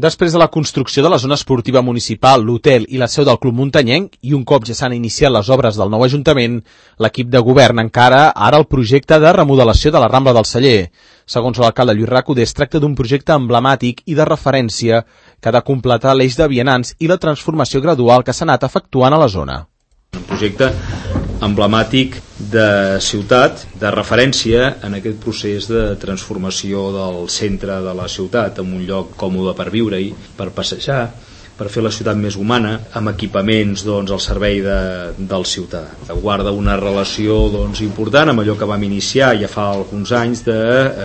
Després de la construcció de la zona esportiva municipal, l'hotel i la seu del Club Muntanyenc, i un cop ja s'han iniciat les obres del nou Ajuntament, l'equip de govern encara ara el projecte de remodelació de la Rambla del Celler. Segons l'alcalde Lluís Recoder, es tracta d'un projecte emblemàtic i de referència que ha de completar l'eix de vianants i la transformació gradual que s'ha anat efectuant a la zona. Un projecte emblemàtic de ciutat, de referència en aquest procés de transformació del centre de la ciutat en un lloc còmode per viure-hi, per passejar, per fer la ciutat més humana, amb equipaments al servei del ciutadà. Guarda una relació important amb allò que vam iniciar ja fa alguns anys de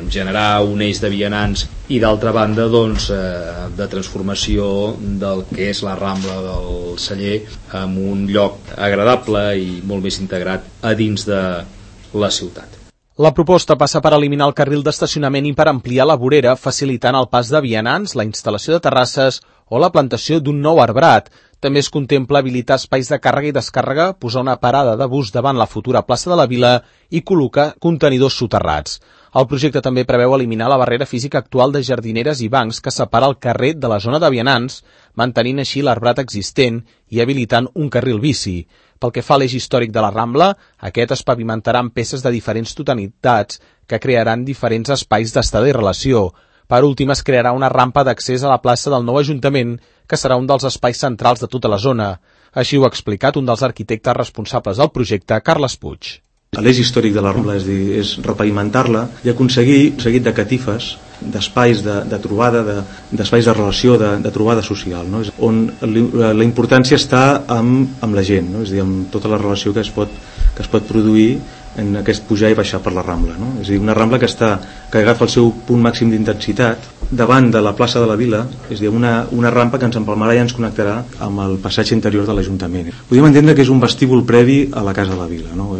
generar un eix de vianants i d'altra banda de transformació del que és la Rambla del Celler en un lloc agradable i molt més integrat a dins de la ciutat. La proposta passa per eliminar el carril d'estacionament i per ampliar la vorera, facilitant el pas de vianants, la instal·lació de terrasses o la plantació d'un nou arbrat. També es contempla habilitar espais de càrrega i descàrrega, posar una parada de bus davant la futura plaça de la Vila i col·locar contenidors soterrats. El projecte també preveu eliminar la barrera física actual de jardineres i bancs que separa el carrer de la zona de vianants, mantenint així l'arbrat existent i habilitant un carril bici. Pel que fa a l'eix històric de la Rambla, aquest es pavimentarà amb peces de diferents totalitats que crearan diferents espais d'estada i relació. Per últim, es crearà una rampa d'accés a la plaça del nou Ajuntament, que serà un dels espais centrals de tota la zona. Així ho ha explicat un dels arquitectes responsables del projecte, Carles Puig. L'eix històric de la Rambla és repavimentar-la i aconseguir un seguit de catifes, d'espais de trobada, d'espais de relació, de trobada social, no? On la importància està amb la gent, no? És a dir, amb tota la relació que es pot produir en aquest pujar i baixar per la Rambla, no? És a dir, una Rambla que agafa el seu punt màxim d'intensitat davant de la plaça de la Vila, és a dir, una rampa que ens empalmarà i ens connectarà amb el passatge interior de l'Ajuntament. Podríem entendre que és un vestíbul previ a la Casa de la Vila, no?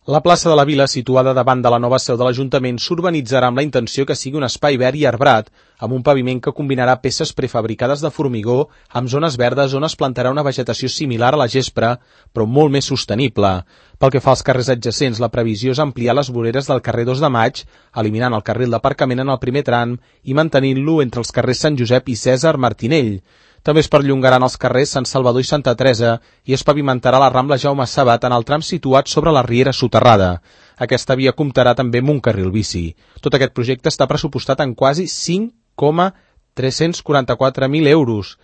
La plaça de la Vila, situada davant de la nova seu de l'Ajuntament, s'urbanitzarà amb la intenció que sigui un espai verd i arbrat, amb un paviment que combinarà peces prefabricades de formigó amb zones verdes on es plantarà una vegetació similar a la gespra, però molt més sostenible. Pel que fa als carrers adjacents, la previsió és ampliar les voreres del carrer 2 de Maig, eliminant el carril d'aparcament en el primer tram i mantenint-lo entre els carrers Sant Josep i Cèsar Martinell. També es perllongaran els carrers Sant Salvador i Santa Teresa i es pavimentarà la Rambla Jaume Sabat en el tram situat sobre la riera soterrada. Aquesta via comptarà també amb un carril bici. Tot aquest projecte està pressupostat en quasi 5,344.000 euros.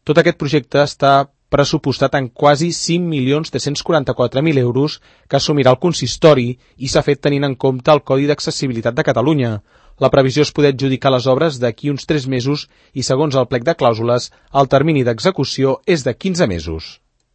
Tot aquest projecte està pressupostat en quasi 5.344.000 euros que assumirà el consistori i s'ha fet tenint en compte el Codi d'Accessibilitat de Catalunya. La previsió és poder adjudicar les obres d'aquí uns 3 mesos i, segons el plec de clàusules, el termini d'execució és de 15 mesos.